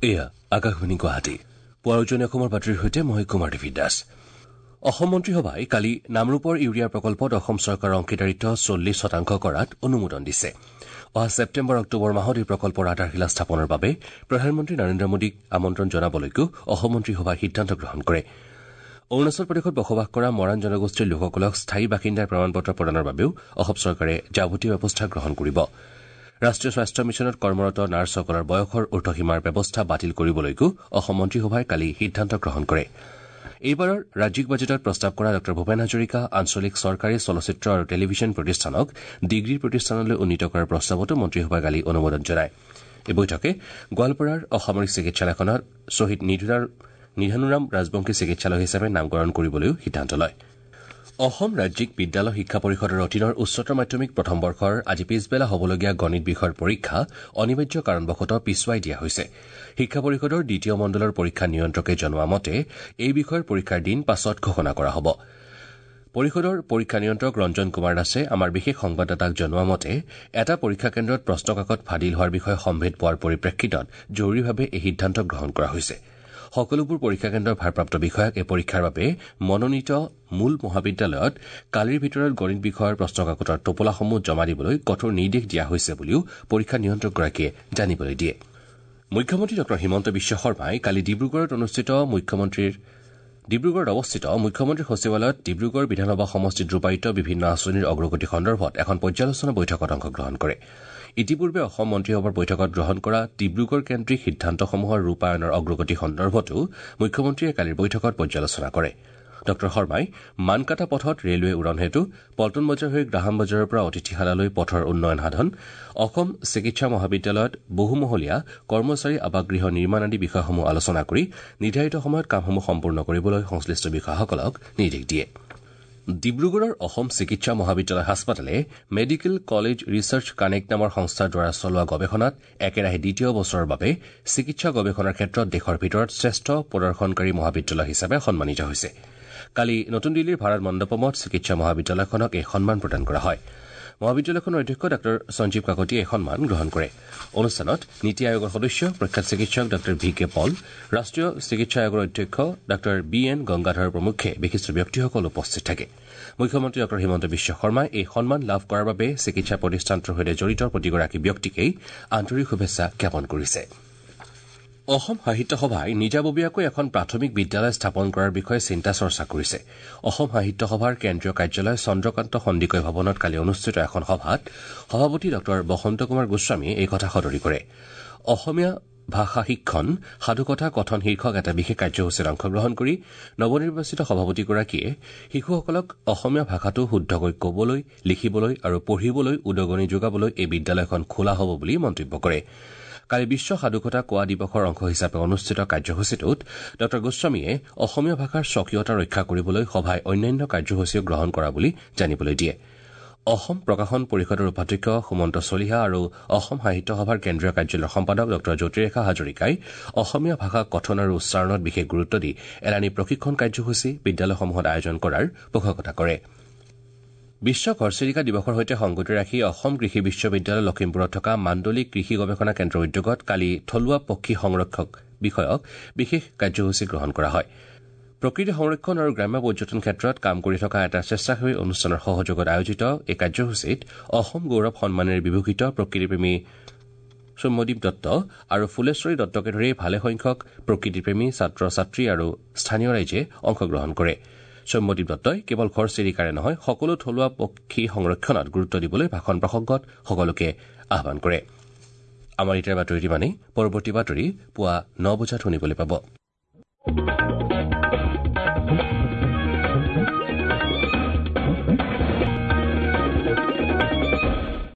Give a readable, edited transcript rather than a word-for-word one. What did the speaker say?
এয়া আকাশবাণী গুৱাহাটী। পুৱাৰ উজনি অসমৰ বাতৰিৰ সৈতে মই কুমাৰ দেৱী দাস। অসম মন্ত্ৰীসভাই কালি নামৰূপৰ ইউৰিয়া প্ৰকল্পত অসম চৰকাৰৰ অংশীদাৰিত্ব 40% কৰাত অনুমোদন দিছে। অহা ছেপ্টেম্বৰ অক্টোবৰ মাহত এই প্ৰকল্পৰ আধাৰশিলা স্থাপনৰ বাবে প্ৰধানমন্ত্ৰী নৰেন্দ্ৰ মোদীক আমন্ত্ৰণ জনাবলৈকো অসম মন্ত্ৰীসভাই সিদ্ধান্ত গ্ৰহণ কৰে। অৰুণাচল প্ৰদেশত বসবাস কৰা মৰাণ জনগোষ্ঠীৰ লোকসকলক স্থায়ী বাসিন্দাৰ প্ৰমাণপত্ৰ প্ৰদানৰ বাবেও অসম চৰকাৰে যাৱতীয় ব্যৱস্থা গ্ৰহণ কৰিব। ৰাষ্ট্ৰীয় স্বাস্থ্য মিছনত কৰ্মৰত নাৰ্ছসকলৰ বয়সৰ ঊৰ্ধসীমাৰ ব্যৱস্থা বাতিল কৰিবলৈকো অসম মন্ত্ৰীসভাই কালি সিদ্ধান্ত গ্ৰহণ কৰে। এইবাৰৰ ৰাজ্যিক বাজেটত প্ৰস্তাৱ কৰা ডঃ ভূপেন হাজৰিকা আঞ্চলিক চৰকাৰী চলচ্চিত্ৰ আৰু টেলিভিছন প্ৰতিষ্ঠানক ডিগ্ৰী প্ৰতিষ্ঠানলৈ উন্নীত কৰাৰ প্ৰস্তাৱতো মন্ত্ৰীসভাই কালি অনুমোদন জনায়। এই বৈঠকে গোৱালপাৰাৰ অসামৰিক চিকিৎসালয়খনত শ্বহীদ নিধানুৰাম ৰাজবংশী চিকিৎসালয় হিচাপে নামকৰণ কৰিবলৈও সিদ্ধান্ত লয়। অসম ৰাজ্যিক বিদ্যালয় শিক্ষা পৰিষদৰ অধীনৰ উচ্চতৰ মাধ্যমিক প্ৰথম বৰ্ষৰ আজি পিছবেলা হ'বলগীয়া গণিত বিষয়ৰ পৰীক্ষা অনিবাৰ্য কাৰণবশতঃ পিছুৱাই দিয়া হৈছে। শিক্ষা পৰিষদৰ দ্বিতীয় মণ্ডলৰ পৰীক্ষা নিয়ন্ত্ৰকে জনোৱা মতে এই বিষয়ৰ পৰীক্ষাৰ দিন পাছত ঘোষণা কৰা হ'ব। পৰিষদৰ পৰীক্ষা নিয়ন্ত্ৰক ৰঞ্জন কুমাৰ দাসে আমাৰ বিশেষ সংবাদদাতাক জনোৱা মতে এটা পৰীক্ষা কেন্দ্ৰত প্ৰশ্নকাকত ফাদিল হোৱাৰ বিষয়ে সম্ভেদ পোৱাৰ পৰিপ্ৰেক্ষিতত জৰুৰীভাৱে এই সিদ্ধান্ত গ্ৰহণ কৰা হৈছে। সকলোবোৰ পৰীক্ষা কেন্দ্ৰৰ ভাৰপ্ৰাপ্ত বিষয়াক এই পৰীক্ষাৰ বাবে মনোনীত মূল মহাবিদ্যালয়ত কালিৰ ভিতৰত গণিত বিষয়ৰ প্ৰশ্নকাকতৰ টোপোলাসমূহ জমা দিবলৈ কঠোৰ নিৰ্দেশ দিয়া হৈছে বুলিও পৰীক্ষা নিয়ন্ত্ৰকগৰাকীয়ে জানিবলৈ দিয়ে। মুখ্যমন্ত্ৰী ডঃ হিমন্ত বিশ্ব শৰ্মাই কালি ডিব্ৰুগড়ত অৱস্থিত মুখ্যমন্ত্ৰী সচিবালয়ত ডিব্ৰুগড় বিধানসভা সমষ্টিত ৰূপায়িত বিভিন্ন আঁচনিৰ অগ্ৰগতি সন্দৰ্ভত এখন পৰ্যালোচনা বৈঠকত অংশগ্ৰহণ কৰে। ইতিপূৰ্বে অসম মন্ত্ৰীসভাৰ বৈঠকত গ্ৰহণ কৰা ডিব্ৰুগড় কেন্দ্ৰিক সিদ্ধান্তসমূহৰ ৰূপায়ণৰ অগ্ৰগতি সন্দৰ্ভতো মুখ্যমন্ত্ৰীয়ে কালিৰ বৈঠকত পৰ্যালোচনা কৰে। ডঃ শৰ্মাই মানকাটা পথত ৰেলৱে উৰণ সেতু, পল্টন বজাৰ হৈ গ্ৰাহাম বজাৰৰ পৰা অতিথিশালালৈ পথৰ উন্নয়ন সাধন, অসম চিকিৎসা মহাবিদ্যালয়ত বহুমহলীয়া কৰ্মচাৰী আৱাসগৃহ নিৰ্মাণ আদি বিষয়সমূহ আলোচনা কৰি নিৰ্ধাৰিত সময়ত কামসমূহ সম্পূৰ্ণ কৰিবলৈ সংশ্লিষ্ট বিষয়াসকলক নিৰ্দেশ দিয়ে। ডিব্ৰুগড়ৰ অসম চিকিৎসা মহাবিদ্যালয় হাস্পতালে মেডিকেল কলেজ ৰিচাৰ্চ কানেক্ট নামৰ সংস্থাৰ দ্বাৰা চলোৱা গৱেষণাত একেৰাহে দ্বিতীয় বছৰৰ বাবে চিকিৎসা গৱেষণাৰ ক্ষেত্ৰত দেশৰ ভিতৰত শ্ৰেষ্ঠ প্ৰদৰ্শনকাৰী মহাবিদ্যালয় হিচাপে সন্মানিত হৈছে। কালি নতুন দিল্লীৰ ভাৰত মণ্ডপমত চিকিৎসা মহাবিদ্যালয়খনক এই সন্মান প্ৰদান কৰা হয়। মহাবিদ্যালয়খনৰ অধ্যক্ষ ডাঃ সঞ্জীৱ কাকতিয়ে এই সন্মান গ্ৰহণ কৰে। অনুষ্ঠানত নীতি আয়োগৰ সদস্য প্ৰখ্যাত চিকিৎসক ডাঃ ভি কে পল, ৰাষ্ট্ৰীয় চিকিৎসা আয়োগৰ অধ্যক্ষ ডাঃ বি এন গংগাধৰ প্ৰমুখ্যে বিশিষ্ট ব্যক্তিসকল উপস্থিত থাকে। মুখ্যমন্ত্ৰী ডঃ হিমন্ত বিশ্ব শৰ্মাই এই সন্মান লাভ কৰাৰ বাবে চিকিৎসা প্ৰতিষ্ঠানটোৰ সৈতে জড়িত প্ৰতিগৰাকী ব্যক্তিকেই আন্তৰিক শুভেচ্ছা জ্ঞাপন কৰিছে। অসম সাহিত্য সভাই নিজাববীয়াকৈ এখন প্ৰাথমিক বিদ্যালয় স্থাপন কৰাৰ বিষয়ে চিন্তা চৰ্চা কৰিছে। অসম সাহিত্য সভাৰ কেন্দ্ৰীয় কাৰ্যালয় চন্দ্ৰকান্ত সন্দিকৈ ভৱনত কালি অনুষ্ঠিত এখন সভাত সভাপতি ডঃ বসন্ত কুমাৰ গোস্বামীয়ে এই কথা সদৰি কৰে। অসমীয়া ভাষা শিক্ষণ সাধুকথা কথন শীৰ্ষক এটা বিশেষ কাৰ্যসূচীত অংশগ্ৰহণ কৰি নৱনিৰ্বাচিত সভাপতিগৰাকীয়ে শিশুসকলক অসমীয়া ভাষাটো শুদ্ধকৈ কবলৈ, লিখিবলৈ আৰু পঢ়িবলৈ উদগনি যোগাবলৈ এই বিদ্যালয়খন খোলা হ'ব বুলি মন্তব্য কৰে। কালি বিশ্ব সাধুকথা কোৱা দিৱসৰ অংশ হিচাপে অনুষ্ঠিত কাৰ্যসূচীটোত ডঃ গোস্বামীয়ে অসমীয়া ভাষাৰ স্বকীয়তা ৰক্ষা কৰিবলৈ সভাই অন্যান্য কাৰ্যসূচীও গ্ৰহণ কৰা বুলি জানিবলৈ দিয়ে। অসম প্ৰকাশন পৰিষদৰ উপাধ্যক্ষ সুমন্ত চলিহা আৰু অসম সাহিত্য সভাৰ কেন্দ্ৰীয় কাৰ্যালয়ৰ সম্পাদক ডঃ জ্যোতিৰেখা হাজৰিকাই অসমীয়া ভাষা কথন আৰু উচ্চাৰণত বিশেষ গুৰুত্ব দি এলানি প্ৰশিক্ষণ কাৰ্যসূচী বিদ্যালয়সমূহত আয়োজন কৰাৰ পোষকতা কৰে। বিশ্ব ঘৰচিৰিকা দিৱসৰ সৈতে সংগতি ৰাখি অসম কৃষি বিশ্ববিদ্যালয় লখিমপুৰত থকা মাণ্ডলিক কৃষি গৱেষণা কেন্দ্ৰৰ উদ্যোগত কালি থলুৱা পক্ষী সংৰক্ষক বিষয়ক বিশেষ কাৰ্যসূচী গ্ৰহণ কৰা হয়। প্ৰকৃতি সংৰক্ষণ আৰু গ্ৰাম্য পৰ্যটন ক্ষেত্ৰত কাম কৰি থকা এটা স্বেচ্ছাসেৱী অনুষ্ঠানৰ সহযোগত আয়োজিত এই কাৰ্যসূচীত অসম গৌৰৱ সন্মানেৰে বিভূষিত প্ৰকৃতিপ্ৰেমী সৌম্যদীপ দত্ত আৰু ফুলেশ্বৰী দত্তকে ধৰি ভালেসংখ্যক প্ৰকৃতিপ্ৰেমী ছাত্ৰ ছাত্ৰী আৰু স্থানীয় ৰাইজে অংশগ্ৰহণ কৰে। সৌম্যদীপ দত্তই কেৱল ঘৰচিৰিকাৰে নহয় সকলো থলুৱা পক্ষী সংৰক্ষণত গুৰুত্ব দিবলৈ ভাষণ প্ৰসংগত সকলোকে আহ্বান কৰে। আমাৰ এতিয়াৰ বাতৰি ইমানেই। পৰৱৰ্তী বাতৰি পুৱা ৯ বজাত শুনিবলৈ পাব।